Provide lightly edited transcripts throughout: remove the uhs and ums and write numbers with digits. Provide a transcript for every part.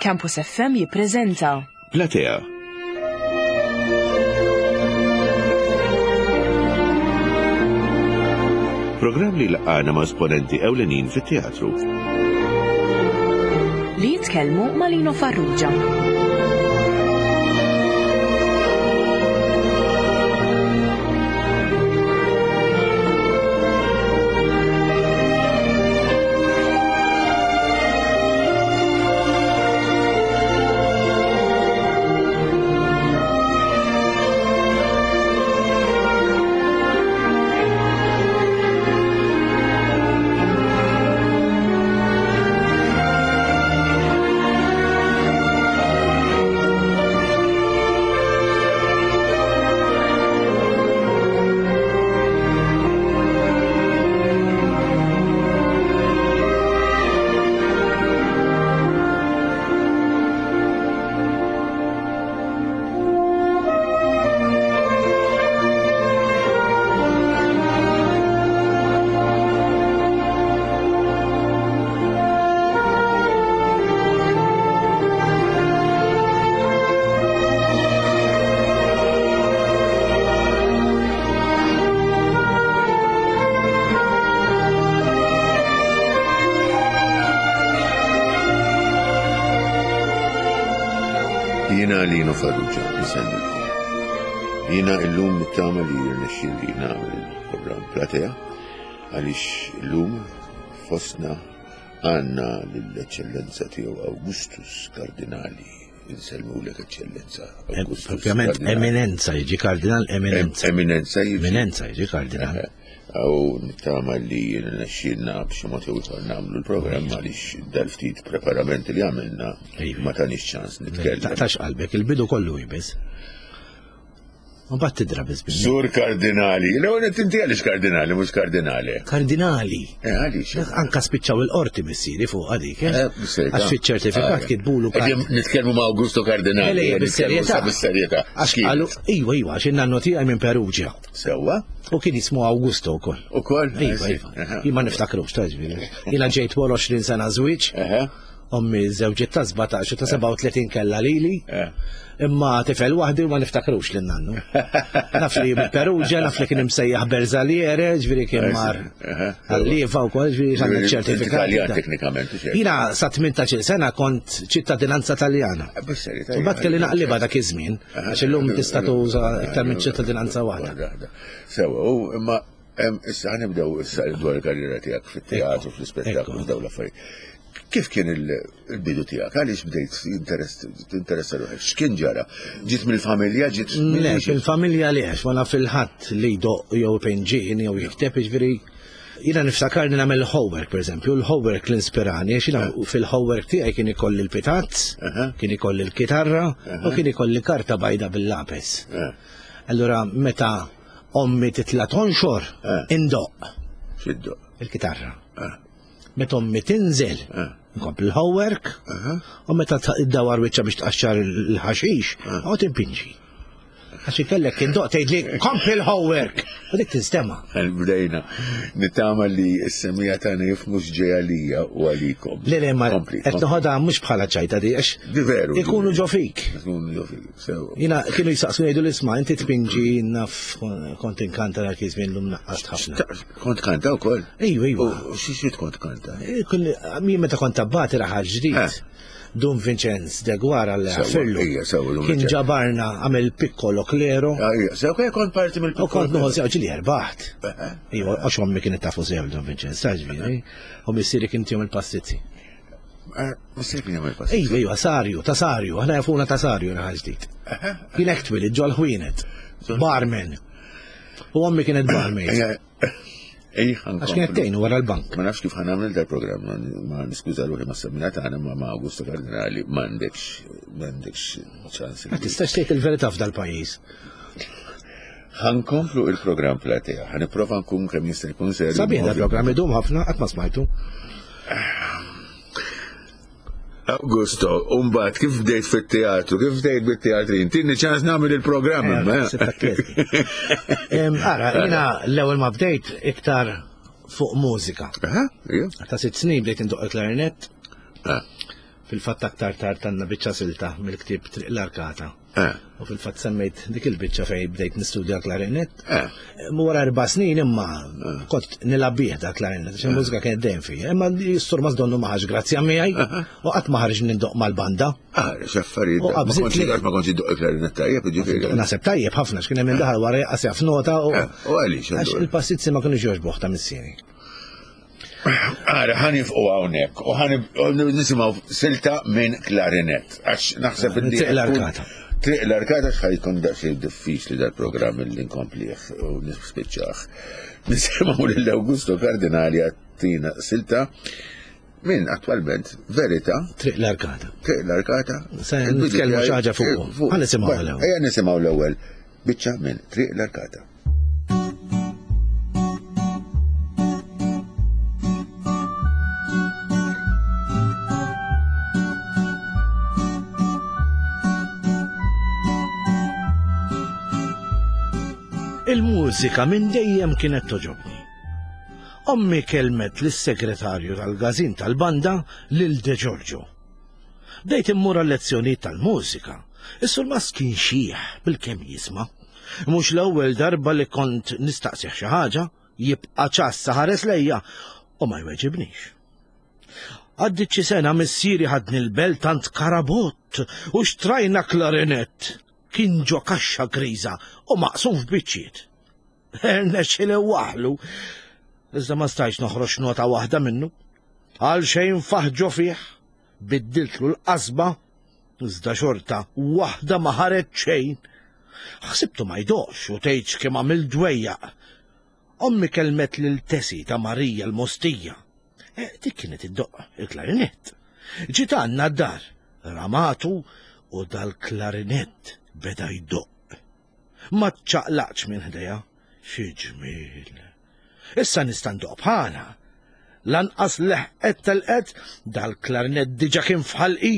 Campus FM jippreżenta. Platea. Programm li laqgħana ma' esponenti ewlenin fit-teatru. Li jitkellmu ma' Lino Farrugia. Jiena Lino Farrugia, nsellmilkom. Jiena illum nittama li jirnexxieli nagħmel il-programm Platea għaliex illum fostna għandna lill-Eċċellenza tiegħu Augustus Kardinali. Insellmulek Eċċellenza Augustus. Propjament eminenza jiġi kardinal eminenza. Eminenza jiġi. Eminenza jiġi kardinal. U nittama li jirnexxielna b'xi mod jew ieħor nagħmlu l-programm għaliex dal-ftit preparamenti li għamilna ma tanix ċans nitkellem. Taqtax qalbek, il-bidu kollu jibis. U bat tidra biss bil Sur kardinali, l-ewwel qed inti għaliex kardinali mhux kardinali. Kardinali. Eh, għaliex? Anka spiċċaw il-qorti missieri fuq għadik, eh? Eh, bis-serjetà. Għax fiċ-ċertifikat Ah, kitbulu Qegħdin nitkellmu ma' Augusto Kardinali. Le, le, bis-serjetà. Bis-serjetà. Għax qalu, iwa, iwa, għax in-nannu tiegħi minn Perugia. Sewwa? U kien jismu Augusto wkoll. Ukoll? Iva, iva. Jien ma niftakrux ta' ġifieri. Jiena ġejt wara 20 sena żwieġ. Ommi żewġiet ta' 17 u ta' 37 kellha lili. Eh. Imma tifel waħdi u ma niftakrux lil nannu. Naf li Perugia, naf li kien imsejjaħ Berzaliere, ġifieri kien mar għal-lieva wkoll, ġifieri għandna ċertifikat. Italjan teknikament. u xejn. Jiena sa 18 sena kont ċittadinanza Taljana. Eh, Bis-serjetà. U bat kelli naqliba dak iż-żmien, għax illum tista' tuża iktar minn ċittadinanza waħda. Sewa, u imma em, issa ħanibdew issa dwar il-karriera tiegħek fit-teatru, fl-ispettaklu, f'dawn l-affarijiet. Kif kien il-bidu tiegħek? Għaliex bdejt tinteressa ruħek? X'kien ġara? Ġiet mill-familja, ġiet Le, fil-familja le, għax ma naf il-ħadd li jdoq jew ipinġi jew jikteb, jiġifieri jiena niftakar li nagħmel homework, pereżempju, l-homework li inspirani, għax jiena fil-homework tiegħi kien ikolli l-pitazz, kien ikolli l-kitarra u kien ikolli karta bajda bil-lapes. Allura meta ommi titla' tonxor, indoqq. X'iddoqq? Il-kitarra. Meta ommi tinżel, nkompli l-homework, u meta ddawar wiċċha biex tqaxxar il-ħaxix, noqgħod inpinġi. Għax ikellek kien doq tgħidli kompli l-homework. U dik tinstema'. Bdejna. Nittama li s-semija tagħna jifhmu x'ġej għalija u għalikom. Le le ma qed noħodha mhux bħala ċajta di għax Di veru. Ikunu ġo fik. Ikunu ġo fik, sew. Jiena kienu jisaqsu jgħidu l-isma' inti tpinġi naf kont inkanta dak iż-żmien lum naqqast ħafna. Kont kanta wkoll? Ejju, ejju. U xi xi kont kanta? Jien meta kont abbati raħal ġdid. Eh. Dun Vincenz de Guara l Firlu. Kien ġabarna għamel piccolo klero. Ah, sew kont parti mill U kont nuħu sew ġili erbaħt. Iva, għax ommi kienet tafu sew Dun Vincenz, ġifieri. U missieri kien tihom il-pastizzi. Eh, missieri kien jagħmel pastizzi. Iva, iva, Sarju, ta' Sarju, aħna jafuna ta' Sarju raħal ġdid. Kien hekk twilid ġol ħwienet. Barman. U ommi kienet barmaid. Għax kienet tgħinu wara l-bank. Ma nafx kif ħanamel dal-programm, ma niskuża ruħi ma semmina tagħna ma ma Augusto Cardinali m'għandekx m'għandekx ċans. Ma tistax tgħid il-verità f'dal-pajjiż. Ħankomplu il-programm platea, ħaniprova nkun kemm jista' jkun serju. Sabiħ dal-programm idum ħafna qatt ma smajtu. Augusto, umbat, kif bdejt fit-teatru, kif bdejt bit-teatrin, tinni ċans namel il-programm. Eh, eh. Ara, jina l-ewel ma bdejt iktar fuq mużika. Ta' sitt snin bdejt indoq il-klarinet. Ah. Fil-fatt aktar tard għandna biċċa silta mill-ktieb Triq l-Arkata. Eh. U fil-fatt semmejt dik il-biċċa fejn bdejt nistudja l-klarinett. Eh. Wara erba' snin imma kont nilgħab bih da klarinett, għax il-mużika kienet dejjem fija. Imma s-sur Masdonnu ma ħax grazzja miegħi u qatt ma ħarġ nindoq mal-banda. Ah, x'affarijiet. U Ma qabżit kontx li- ma kontx iddoq il-klarinett tajjeb, ġifieri. Naħseb tajjeb ħafna x'kien hemm daħal wara jaqas jaf nota u Eh, U għaliex? għax allura? il-passizzi ma kienux jogħġbuh ta' missieri. Ara, ħanifqu hawnhekk u ħan nisimgħu silta minn klarinett. Għax naħseb Minn illi Triq l-Arkata. Triq l-Arkata x'ħajkun daqsxejn diffiċli dal-programm li nkomplih u nispiċċah. Nisimgħu lil Augusto Cardinali għattina silta minn attwalment Verità Triq l-Arkata. Triq l-Arkata. Se Il-bidu nitkellmu tiegħi- xi ħaġa fuqu. Fuq. Ħa nisimgħu l-ewwel. Ejja nisimgħu l-ewwel biċċa minn Triq l-Arkata. Il-mużika minn dejjem kienet toġobni. Ommi kelmet lis-segretarju tal-gazin tal-banda lil De Giorgio. Bdejt immur għal-lezzjonijiet tal-mużika. Is-surmast kien xiħ bil-kemm jisma'. Mhux l-ewwel darba li kont nistaqsih xi ħaġa, jibqa' ċassa ħares lejja u ma jweġibnix. Għaddit xi sena missieri ħadni l-belt tant karabott u xtrajna klarinett. Kien ġo kaxxa griża u maqsum f'biċċiet. Rnexxieli waħlu. Iżda ma stajtx noħroġ nota waħda minnu. Għal xejn faħġo fih, biddiltlu l-qasba, iżda xorta waħda ma ħareġ xejn. Ħsibtu ma jdoqx u tgħidx kemm għamil dwejjaq. Ommi kelmet lil Tesi ta' Marija l-Mostija. E, dik kienet iddoqq il-klarinett. Ġiet għandna d-dar, ramatu u dal-klarinett beda jdoqq. Ma ċċaqlaqx minn ħdejha. Xi ġmiel. Issa nista' ndoqq bħalha. Lanqas leħqet telqet dal-klarinett diġà kien f'ħalqi.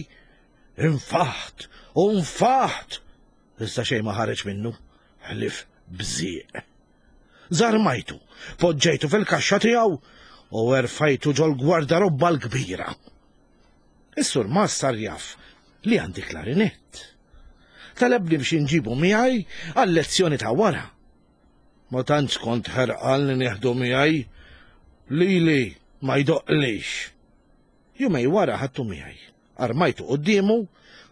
Infaħt u nfaħt. Iżda xejn ma ħareġ minnu, ħlief bżieq. Żarmajtu, poġġejtu fil-kaxxa tiegħu u erfajtu ġol-gwardarobba l-kbira. Is-sur Mas sar jaf li għandi klarinett. Talebni biex inġibu miegħi għal-lezzjoni ta' wara. Ma tantx kont ħerqan li nieħdu miegħi. Lili ma jdoqqlix. Jumej wara ħadtu miegħi. Armajtu quddiemu,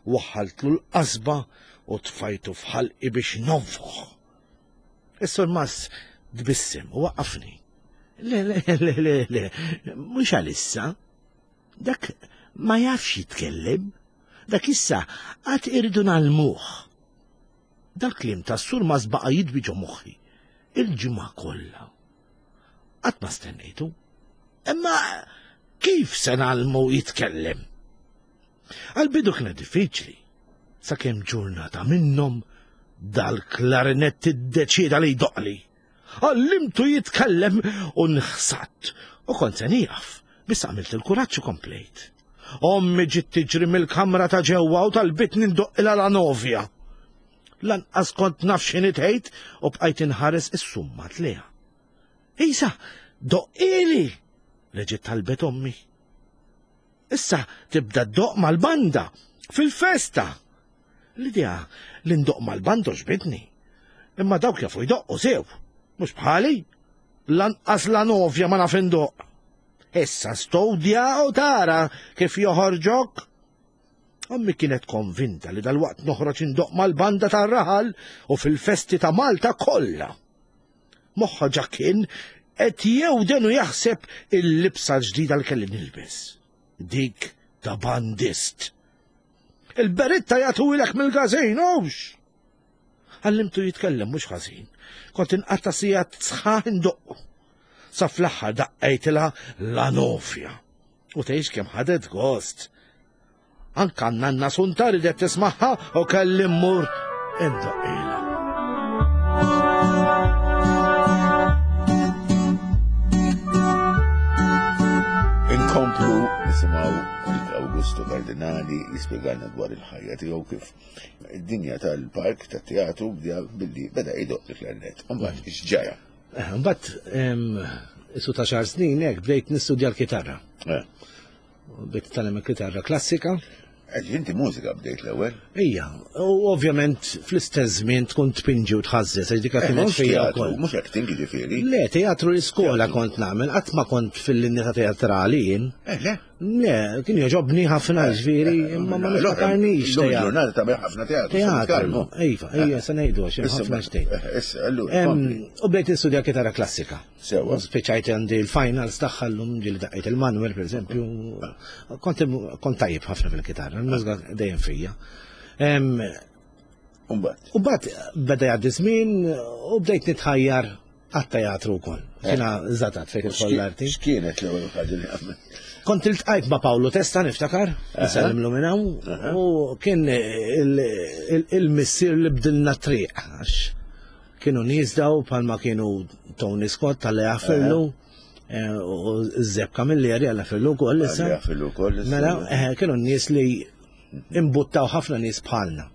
waħħaltlu l-qasba u tfajtu f'ħalqi biex nonfoħ. Is-sur Mas tbissem u waqqafni. Le, le, le, le, le, mhux għalissa. Dak ma jafx jitkellem. Dak issa għad irridu nagħlmuh. Dal-kliem tas-sur Mas baqa' jidwi ġo moħħi il-ġimgħa kollha. Qatt ma stennejtu. Imma kif se nagħlmu jitkellem? Għal-bidu kienet diffiċli, sakemm ġurnata minnhom dal-klarinett iddeċieda li jdoqli. Għallimtu jitkellem u nħsatt u kont se nieqaf, biss għamilt il-kuraġġ u komplejt. Ommi ġiet tiġri mill-kamra ta' ġewwa u talbitni ndoqqilha la novja. Lanqas kont naf x'inhi tgħid u bqajt inħares is-summa tliha. Isa, doqqili! Reġgħet talbet ommi. Issa tibda ddoq mal-banda fil-festa. L-idea li ndoq mal-banda ġbidni. Imma dawk jafu jdoqqu sew, mhux bħali. Lanqas la novja ma naf indoq. Issa stowdja u tara kif joħorġok. Ommi kienet konvinta li dalwaqt noħroġ indoq mal-banda tar-raħal u fil-festi ta' Malta kollha. Moħħa ġa kien qed jewden u jaħseb il-libsa l-ġdida li kelli nilbes. Dik ta' bandist. Il-beritta jagħtuhilek mill-gazin, hux! Għallimtu jitkellem mhux ħażin. Kont inqatta' sigħat sħaħ indoqqu. Sa fl-aħħar daqqejtilha la nofja. U tgħix kemm ħadet gost. Anka nanna Sunta ridet tismagħha u kelli mmur indoqqilha. Inkomplu nisimgħu Augusto Cardinali jispjegalna dwar il-ħajja tiegħu kif id-dinja tal-park tat-teatru bdea billi beda jdoqq il-klarnet. Imbagħad x'ġara? Mbagħad isu ta' xar snin hekk bdejt nistudja l-kitarra. Bdejt nitgħallem il-kitarra klassika. Inti mużika bdejt l-ewwel? Ija, u ovvjament fl-istess żmien tkun tpinġi u tħażżeż, għax dika kienet fija wkoll. Mhux acting jiġifieri. Le, teatru l-iskola kont nagħmel, qatt ma kont fil-linja ta' teatrali jien. Eh, le? Le, kien jogħġobni ħafna ġifieri, imma ma niftakarnix. Ġurnata tagħmel ħafna teatru. Teatru, iva, ija, se ngħidu għax ħafna xtejn. Issa, allura. U bdejt nistudja kitarra klassika. Sewa. Spiċajt għandi l-finals tagħha llum ġieli daqqejt il-Manuel pereżempju. Kont kont tajjeb ħafna fil-kitarra, l-mużika dejjem fija. Umbagħad. U mbagħad beda jgħaddi żmien u bdejt nitħajjar għat-teatru wkoll. Eh. Jiena żatat fejn tidħol l-arti. X'kienet l-ewwel ħaġa li għamilt? Kont iltqajt ma' Paolo Testa niftakar, nsellimlu minn hawn, u kien il-missier li bdilna triq għax Kienu nies daw bħalma kienu Tony Scott tal jaffillu eh, u Zeb Camilleri għalla fillu wkoll issa. Jaffillu wkoll issa. Mela, eh, kienu nies li imbuttaw ħafna nies bħalna.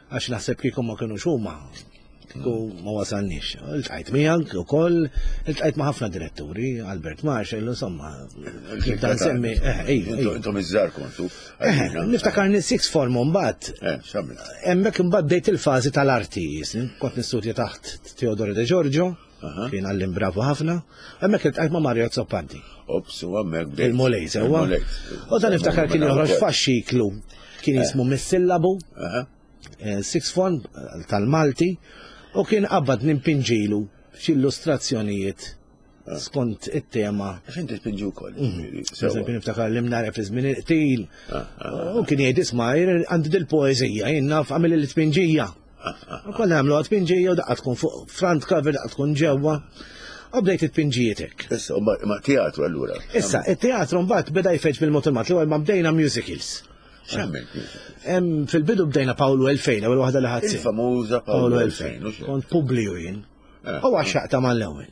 Għax naħseb kieku ma kienux huma kieku ma wasalniex. Iltqajt miegħek ukoll, iltqajt ma' ħafna diretturi, Albert Marshall, insomma, nibda nsemmi, eh, ej, ej. Intom iż-żgħar kontu. Eh, niftakarni sixth form mbagħad. Eh, x'għamilt? Hemmhekk imbagħad bdejt il-fażi tal-arti, kont nistudja taħt Teodoro De Giorgio, kien għallim bravu ħafna, hemmhekk iltqajt ma' Mario Azzopardi. Ops, u hemmhekk bdejt. Il-Mulej sewwa. U dan niftakar kien joħroġ faxxiklu kien jismu Missillabu, sixth form tal-Malti, u kien qabad nimpinġilu xi illustrazzjonijiet skont it-tema. Għax inti tpinġi wkoll. Eżempju niftakar li mnara fi żmien il-qtil. Ah, ah, U kien jgħid isma' għandi dil-poeżija, jien naf għamil il-tpinġija. Ah, U konna nagħmlu tpinġija u daqqa tkun fuq front cover, daqqa tkun ġewwa. U bdejt it-tpinġijietek. Issa, ma teatru allura. Issa, it-teatru mbagħad beda jfeġ bil-mod il-mat, l-ewwel ma bdejna musicals. X'għamilt? Fil-bidu bdejna Paolo 2000, ewwel waħda li ħadd. Il-famuża Paolo 2000. Kont Publiju jien. Eh. U għaxxaqta mal-ewwel.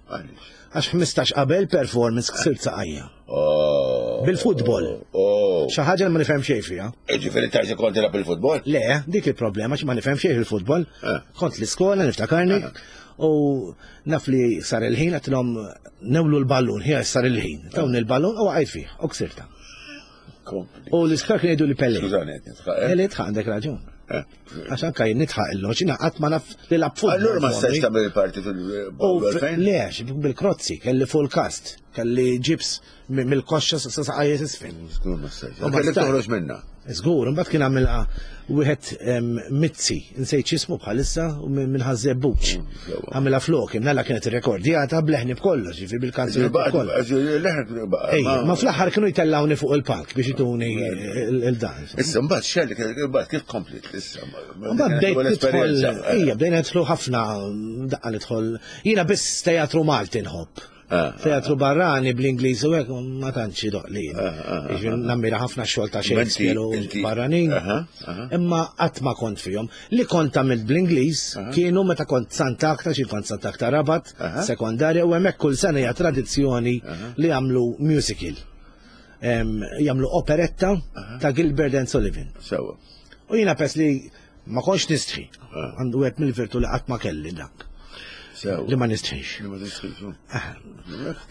Għax 15 qabel performance ksirt saqajja. Oh. Bil-futbol. Oh. Xi ħaġa li ma nifhem xejn fiha. E ġifieri tarġa kont tilgħab il-futbol? Le, dik il-problema xi ma nifhem xejn fil-futbol. Eh. Kont l-iskola niftakarni eh. u naf li sar il-ħin għatilhom newlu l-ballun, ħija sar il-ħin. Tawni l-ballun u għajt fih, u ksirta. U l-iskar kien jgħidu li Pelle. Skużani, qed nidħaq. Eh? Li tħaq għandek raġun. Eh. Għax anka jien nidħaq illum, xina qatt ma naf li lab futbol. Allura ma stax tagħmel il-parti fil Le, bil-krozzi, kelli full cast, kelli ġibs mill-koxxa sa saqajja isfel. Żgur ma stax. Kellek toħroġ minna. Żgur, imbagħad kien għamilha wieħed Mizzi, nsejt x'ismu bħalissa minn Ħaż-Żebbuġ. Għamilha flok, imnalla kienet irrekordjata bleħni b'kollox, ġifieri bil-kanzunetta b'kollox. Ma fl-aħħar kienu jtellgħuni fuq il-palk biex ituni il-dan. Issa mbagħad xelli mbagħad kif komplit issa. Mbagħad bdejt nidħol, ejja bdejna nidħlu ħafna daqqa nidħol. Jiena biss teatru Malti nħobb. Ah, Teatru ah. barrani bl-Ingliż u hekk ma tantx idoqli. Ah, Nammira ħafna xogħol ta' Shakespeare u barranin. Imma qatt ma kont fihom. Li kont għamilt bl-Ingliż kienu meta kont Sant'Akta, xi kont Sant'Akta Rabat, sekondarja u hemmhekk kull sena hija tradizzjoni li jagħmlu musical. Jagħmlu operetta ta' Gilbert and Sullivan. Sewa. U jiena pers li ma kontx nistħi. Għandu għed mill-virtu li qatt ma kelli dak. Li ma nistħix. Li ma nistħix.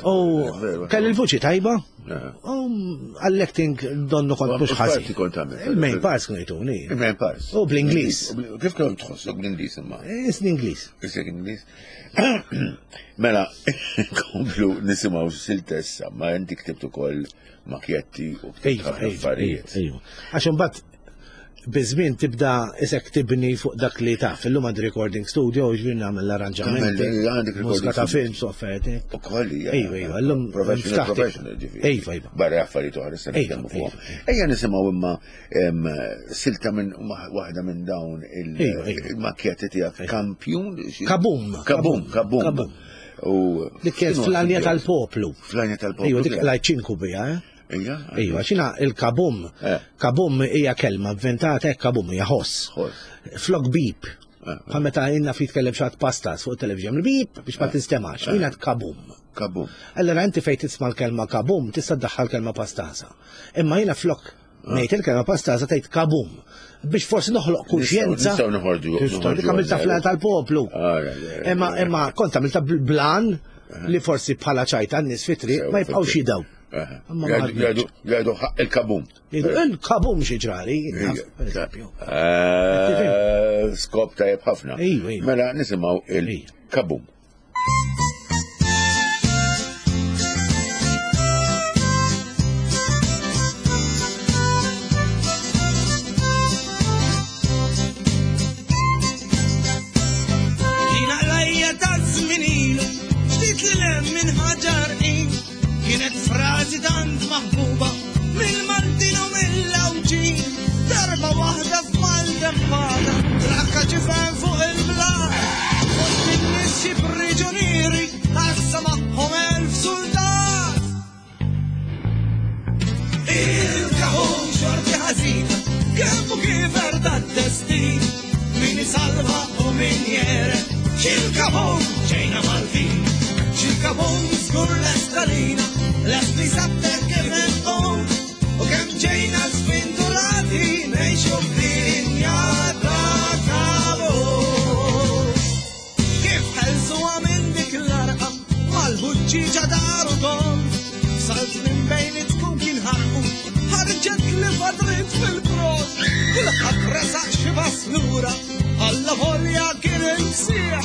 U kelli l-vuċi tajba. U għall-acting donnu kont mhux ħażin. kont għamil. Il-main parts kienu jtuni. Il-main parts. U bl-Ingliż. Kif kont tħossok bl-Ingliż imma? Isni Ingliż. Isek Ingliż. Mela, komplu nisimgħu siltessa, ma inti ktibt ukoll makjetti u Iva, ħafna iva, affarijiet. iva. Għax imbagħad biż-żmien tibda isek tibni fuq dak li taf. Illum għandi recording studio, ġifieri nagħmel l-arranġamenti. Tagħmel, għandek recording Mużika ta' studio. films u affarijiet. U koll hija. Iva, iva, illum Professional, ftaħt- professional, ġifieri. Iva, iva. Barra affarijiet oħra se Iva, nitkellmu fuqhom. iva. Ejja nisimgħu imma silta minn waħda minn dawn Iva, iva. il-makkjetti tiegħek kampjun. Kabum. Kabum, kabum. Kabum. U Dik kienet fl-għanja tal-poplu. Fl-għanja tal-poplu. Iva, dik lajċinku bija, eh? Ija? Iva, xina il-kabum. Eh. Kabum hija kelma inventata hekk kabum hija ħoss. Ħoss. Flok bip. Eh, Bħal meta inna fi tkellem xi pastas fuq il-television, bip biex ma tinstemax. Jiena kabum. Kabum. Allora inti fejn tisma' l-kelma kabum tista' ddaħħal kelma pastasa. Imma jiena flok ngħid il-kelma pastasa tgħid kabum biex forsi noħloq kuxjenza. Nistgħu noħorġu. Tista' dik għamilta fl tal-poplu. Ah, ja, ja, ja, Imma ja. imma kont għamilta blan li forsi bħala ċajta n-nies fit-triq ma jibqgħux jidaw. Imma ma ħadmitx. Jgħidu ħaqq il-kabum. Jgħidu il-kabum xi ġrali, per eżempju. Eh, skop tajjeb ħafna. Mela nisimgħu il-kabum. Jina qrajja ta' żmien ilu, ftit li lem minn ħaġar Kienet frażi tant maħbuba mill-Maltin u mill-Għawdxin. Darba waħda f'maltempata, trakka ġifen fuq il-blat. Fost in-nies xi priġunieri, għassa magħhom elf suldat. Il-kaħun xorti ħażina, kemm u kif erda d-destin, min isalva u min jere, xil-kaħun ġejna Maltin. Xil-kaħun żgur lest għalina, lest li sabter kif inqum, u kemm ġejna sventurati ngħixu f'dinja ta' kabus. Kif ħelsuha minn dik l-arqa mal-ħuġġieġa daru dom, salt minn bejn it-tkun kien ħarqu, ħarġet li fadrit fil-prot, kulħadd resaq xi pass lura, alla volja kien il-ksieħ,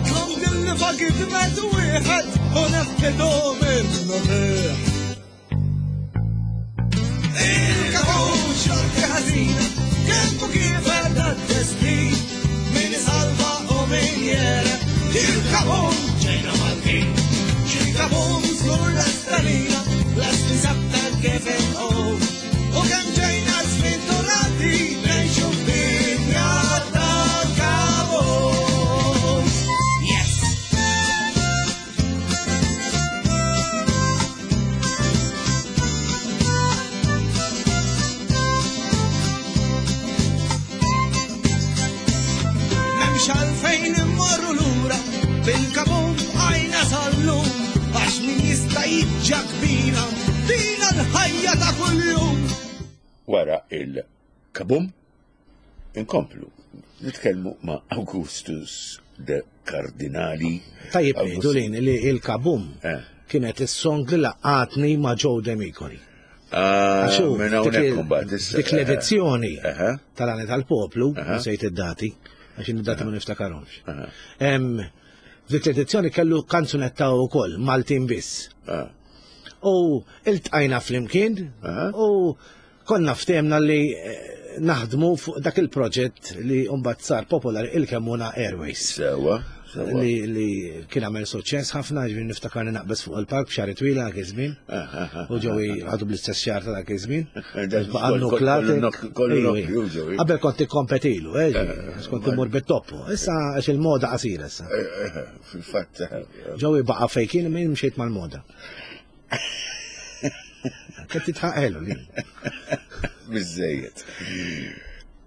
tlom dil-lifa gidmet wieħed u nefkedu minnu fih. Il-kapun xorti ħażina, kemm u kif għadda d-destin, min isalva u min jere, il-kapun ġejna Maltin. Il-kapun żgur l-estalina, lest insabta kif inqum. U kemm ġejna sventurati, ngħixu f'dinja ta' kabus. Yes! M'hemmx għalfejn immorru lura bil-kabum bqajna sal-lum għax min jista' jiġġak bina dina l-ħajja ta' kuljum. Wara il-kabum inkomplu nitkellmu ma' Augustus de Cardinali. Tajjeb ngħidu lin li il-kabum eh. kienet is-song li laqatni ma' Joe Demicoli. Ah, dik l-edizzjoni tal-għani tal-poplu, sejt id-dati, għax id-dati ma niftakarhomx. Dik l-edizzjoni kellu kanzunetta wkoll Maltin biss. Ah. U iltqajna flimkien u konna ftehmna li eh, naħdmu fuq dak il-proġett li mbagħad sar popolari il-Kemmuna Airways. Sewa. Li, li kien għamel suċċess ħafna, ġifieri niftakar li naqbeż fuq il-park b'xar twila dak iż-żmien. U ġewi għadu bl-istess xar ta' dak iż-żmien. Qabel kont ikkompetilu, eh, kont immur bit-toppu. Issa għax il-moda qasira issa. Eh, eh, fil-fatt. Ġewi baqa' fejn kien imma mxiet mal-moda. Kif titħaqelu li. Biżejjed.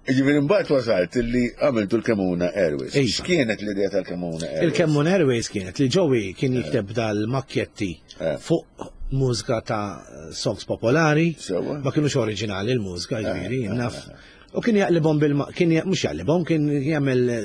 Ġifieri mbagħad wasalt li għamiltu l-Kemuna Airways. X'kienet l-idea tal-Kemuna Airways? Il-Kemuna Airways kienet li Joey kien eh. jikteb dal-makkjetti eh. fuq mużika ta' songs popolari. Ma kienux oriġinali l-mużika, eh, ġifieri, naf. U kien jaqlibhom bil kien mhux jaqlibhom, kien jagħmel eh,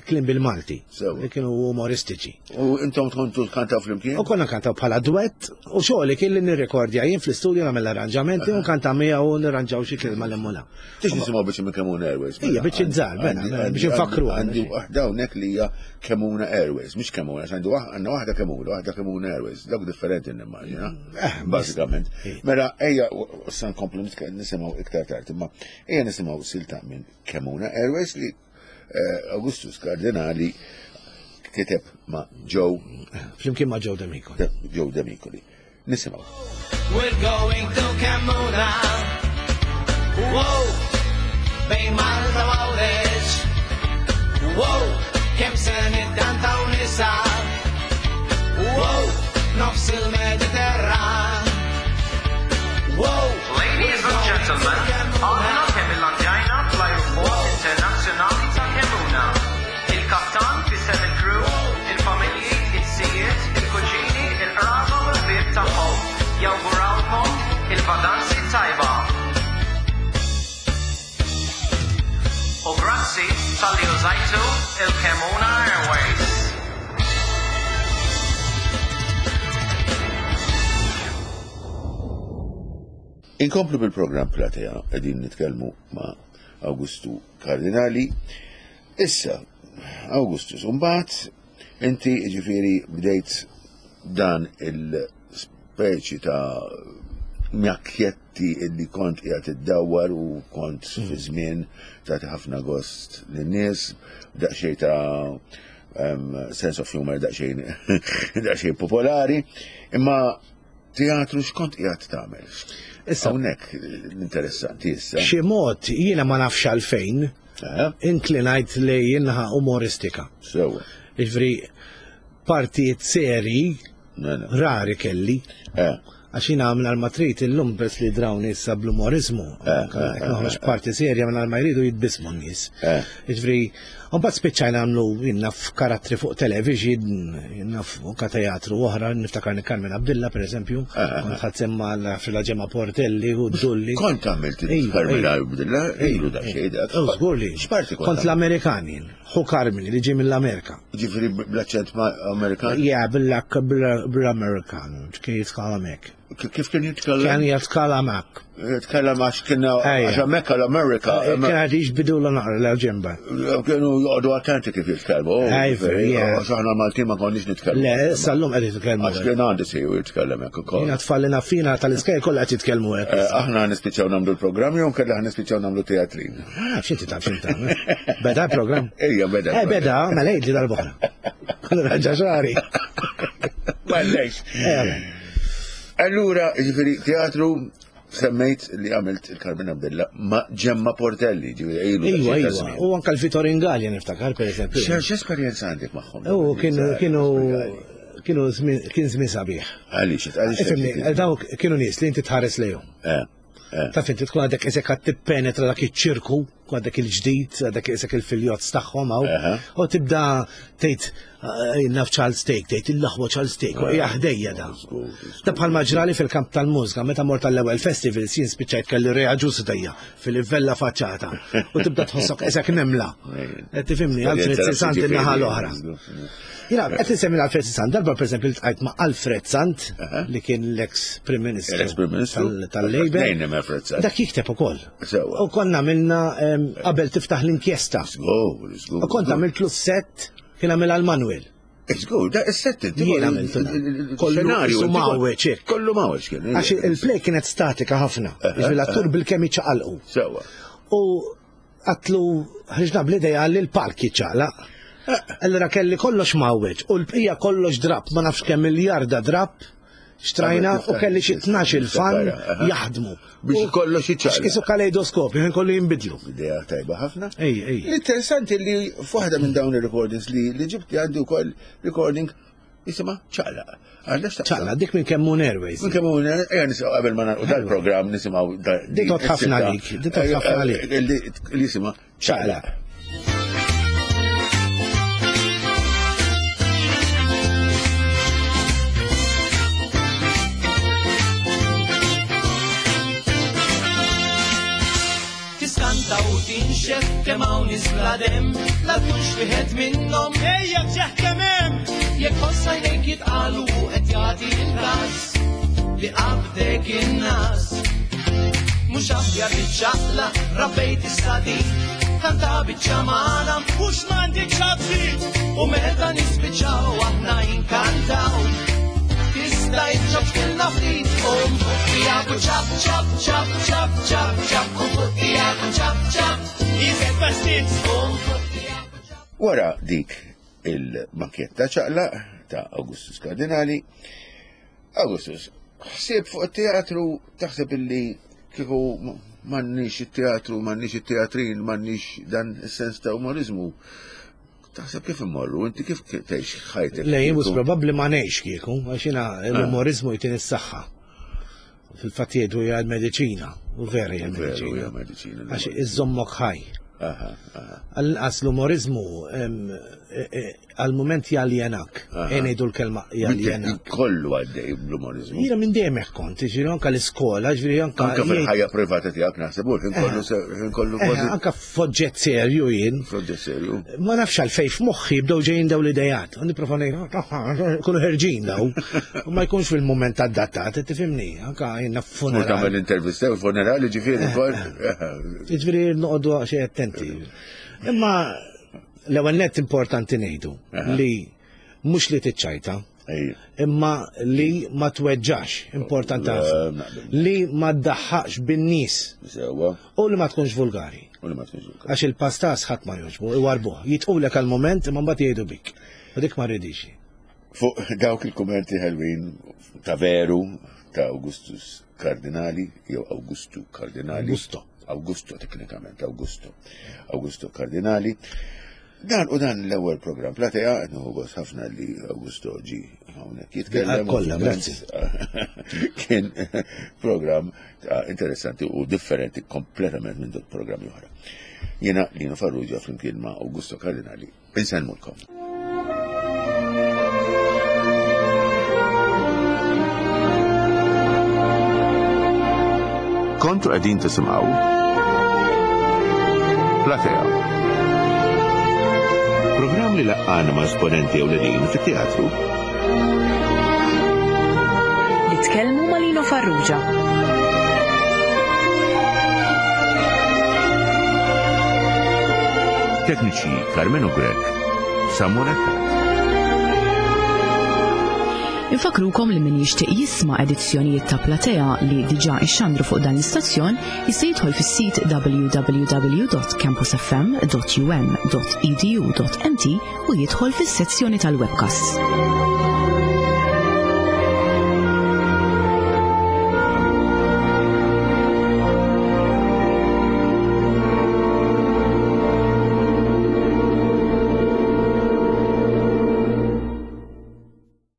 kliem bil-Malti. Li kienu umoristiċi. U intom tkontu tkantaw flimkien? U konna kantaw bħala duett u xogħli kien li nirrekordja jien fl-istudju nagħmel arranġamenti u nkanta miegħu u nirranġaw xi kelma l mula. Tix nisimgħu biex minn Kemuna Airways. Ija biex iżżar, mela, mela, biex nfakru. Għandi waħda hawnhekk li hija Kemuna Airways, mhux Kemuna, għandi għandna waħda Kemuna, waħda Kemuna Airways, dawk differenti nimmaġina. Eh, bażikament. Mela ejja sa nkomplu nisimgħu iktar tard, imma Ejja nisimgħu silta minn Kemuna Airways li eh, Augustus Cardinali kiteb ma' Joe. Flimkien ma' Joe Demicoli. Joe Demicoli. Nisimgħu. We're going to Kemuna. Wow, bejn Malta u Għawdex. Wow, kemm se niddantaw nisa. Wow, nofs il-Mediterran. Wow, Ladies and gentlemen, aħna kemm illandjajna fl-Ajruport Internazzjonali ta' Kemuna. Il-kaptan fisem il-crew, il-familji, it-sijiet, il-kuġini, il-qraba u l-ħbieb tagħhom jawgurawlkom il-vaganzi tajba. U grazzi talli użajtu il-Kemuna Airways. Inkomplu bil-programm Platea, qegħdin nitkellmu ma' Awgustu Kardinali. Issa, Augustus, mbagħad inti ġifieri bdejt dan il-speċi ta' mjakjetti illi kont qiegħed iddawwar u kont fi żmien tagħti ħafna gost lin-nies, daqsxejn ta' sense of humor daqsxejn daqsxejn popolari, imma teatru x'kont qiegħed tagħmel? Issa hawnhekk l-interessanti issa. Xi mod jiena ma nafx għalfejn inklinajt li jinħa umoristika. Sewwa. Jiġifieri partijiet seri Mela. rari kelli. Għax jiena minn ma trid illum bes li drawni issa bl-umorizmu. Jekk noħroġ parti serja minn ma jridu jitbismu n-nies. Jiġifieri, mbagħad spiċċajna nagħmlu jien naf karattri fuq television, jien naf anke teatru oħra, niftakar Carmen Abdilla pereżempju, kont ħadd semma fil-ġemma Portelli u Dulli. Kont għamilt Ejwa, Carmen ejwa. Abdilla, ilu da xejn dak. Oh, żgur li. X'parti kont? Kont l-Amerikan jien, ħu Carmen li ġie mill-Amerika. Ġifieri bl-aċċent Amerikan? Ja, bil-Amerikan, kien jitkellem hekk. Kif kien jitkellem? Kien jitkellem hekk. Jitkellem għax kien Ejja. għax hemmhekk l-Amerika. Kien għad jiġbidu l naqra l-ġemba. Kienu joqogħdu attenti kif jitkellmu. Oh, Ejja, ġifieri, ja. Għax aħna Maltin ma konniex nitkellmu. Le, sal-lum qed jitkellmu. Għax kien għandi siju jitkellem hekk ukoll. Jiena tfallina fina tal-iskej kollha qed jitkellmu hekk. Aħna nispiċċaw nagħmlu l-programm jew kellha nispiċċaw nagħmlu teatrin. Ah, x'inti taf x'inti tagħmel. Beda l-programm? Ejja, beda. Eh, beda, mela jgħidli darb'oħra. Raġa xari. M'għandekx. Eh, Allura, ġifieri, teatru semmejt li għamilt il-Carmen Abdilla ma' Ġemma Portelli, ġifieri ilu Iwa, daqsxejn ta' iwa. żmien. U anka l-Vitoringalja niftakar, per eżempju. X'esperjenza għandek magħhom? U kienu kienu kienu żmien kien żmien sabiħ. Għaliex, għaliex. Ifhimni, dawk kienu nies li inti tħares lejhom. Taf inti tkun għadek isek għad tippenetra dak iċ-ċirku, tkun għadek il-ġdid, għadek isek il-filjozz tagħhom hawn, u tibda tgħid naf Charles Take, tgħid il-aħwa Charles Take, u hija ħdejja da. Da bħalma ġrali fil-kamp tal-mużika, meta mort tal-ewwel festivals jien spiċċajt kelli reaġus ħdejja fil-livella faċċata u tibda tħossok isek nemla. Qed tifhimni, Alfred Sant in-naħa l-oħra. Jiena qed insemmi Alfred Sant, darba pereżempju ltqajt ma' Alfred Sant li kien l-ex Prim Ministru L-ex Prim Ministru tal-Labour. Nejn hemm Alfred Sant. Dak jikteb ukoll. Sewwa. U konna għamilna qabel tiftaħ l-inkjesta. Żgur, żgur. U kont għamiltlu set kien għamilha l-Manuel. Żgur, da is-set inti. Jien għamiltu dan. Kollu Xenarju, isu inti mawweġ, hekk. Kollu mawweġ kien. Għax il-play kienet statika ħafna. Jiġifieri l-attur bil-kemm jiċċaqalqu. Sewwa. U għatlu ħriġna bl-idea li l-palk jiċċaqlaq. Allura kelli kollox mawweġ u l-bqija kollox drap, ma nafx kemm miljarda drap xtrajna u kelli xi 12 fan jaħdmu. Biex kollox jiċċaqlaq. X'kisu kaleidoskopju, ħin kollu jinbidlu. Idea tajba ħafna. Ej, ej. L-interessanti li f'waħda minn dawn ir-recordings li li ġibti għandi wkoll recording jisimha ċaqlaq. Għandax taqsam. Ċaqlaq, dik minn Kemmun Airways. Minn Kemmun Airways, ejja nisimgħu qabel ma nagħlqu dal-programm nisimgħu Dik tot ħafna għalik, dik tot ħafna għalik. Li jisimha ċaqlaq. Tiskanta u tinxef kemm hawn nies bla demm, la tkunx wieħed minnhom. Ejja ġeħ kemm hemm! Jekk ħoss għajnejk jitqalu u qed jagħti l-każ li qabdek in-nas. Mhux aħjar tiċċaqla, rabbejt is-sadid, kanta biċċa magħna, mhux m'għandek xabsit. U meta nispiċċaw aħna inkantaw. Tista' iċċabtilna ftit, um fuq u ċap ċap ċap ċap ċap ċap, um fuq u ċap ċap, iżed pastit, um fuq ċap. Wara dik il-makketta ċaqlaq ta' Augustus Cardinali, Augustus, ħsieb fuq it-teatru taħseb illi kieku m'għandniex it-teatru, m'għandniex it-teatrin, m'għandniex dan is-sens ta' umorizmu. Taħseb kif immorru, inti kif tgħix ħajtek? Le, jien mhux probabbli ma ngħix kieku, għax jiena l-umorizmu jtini s-saħħa. Fil-fatt jgħidu hija l-mediċina, u vera hija Veru hija l-mediċina. mediċina. Għax iżommok ħaj. Aha, aha. Għall-inqas l-umorizmu għal-moment jaljenak. Ngħidu l-kelma jaljenak. Kollu għaddej bl-umorizmu. Jiena minn dejjem hekk kont, ġifieri anke l-iskola, ġifieri anke. Anke fil-ħajja privata tiegħek naħseb u kollu eh. kollu eh, kważi. Anke f'oġġett serju jien. F'oġġett serju. Ma nafx għalfejn f'moħħi bdew ġejjin daw l-idejat. U nipprova ngħid kunu ħerġin daw. U ma jkunx fil-mument adattat, tifhimni, anke jiena f'funeral. Tagħmel intervista u funerali ġifieri eh. ukoll. Ġifieri noqogħdu xi attenti. Imma L-ewwel nett importanti ngħidu li mhux li tiċċajta, imma li ma tweġġax, importanti ħafna. Li ma ddaħħaqx bin-nies. U li ma tkunx vulgari. Għax il-pastas ħadd ma jogħġbu, iwarbuh. Jitqulek għal-moment imma mbagħad jgħidu bik. U dik ma rridix. Fuq dawk il-kummenti ħelwin ta' veru ta' Augustus Cardinali jew Augustu Cardinali. Augusto. Augusto teknikament, Augusto. Augusto Cardinali. Dan u dan l-ewwel programm Platea, qed nieħu gost ħafna li Augusto ġi hawnhekk jitkellem. Kollha, grazzi. Kien programm interessanti u differenti kompletament minn dok programmi oħra. Jiena Lino Farrugia flimkien ma' Augusto Cardinali Insellmulkom. Kontu qegħdin tisimgħu Platea. Programm li laqqana ma' esponenti ewlenin fit-teatru. Nitkellmu ma' Lino Farrugia. Tekniċi Carmenu Grech, Samuel Attard. Infakrukom li min jixtieq jisma' edizzjonijiet ta' Platea li diġà ixxandru fuq dan l-istazzjon jista' jidħol fis-sit www.campusfm.um.edu.mt u jidħol fis-sezzjoni tal-webcasts.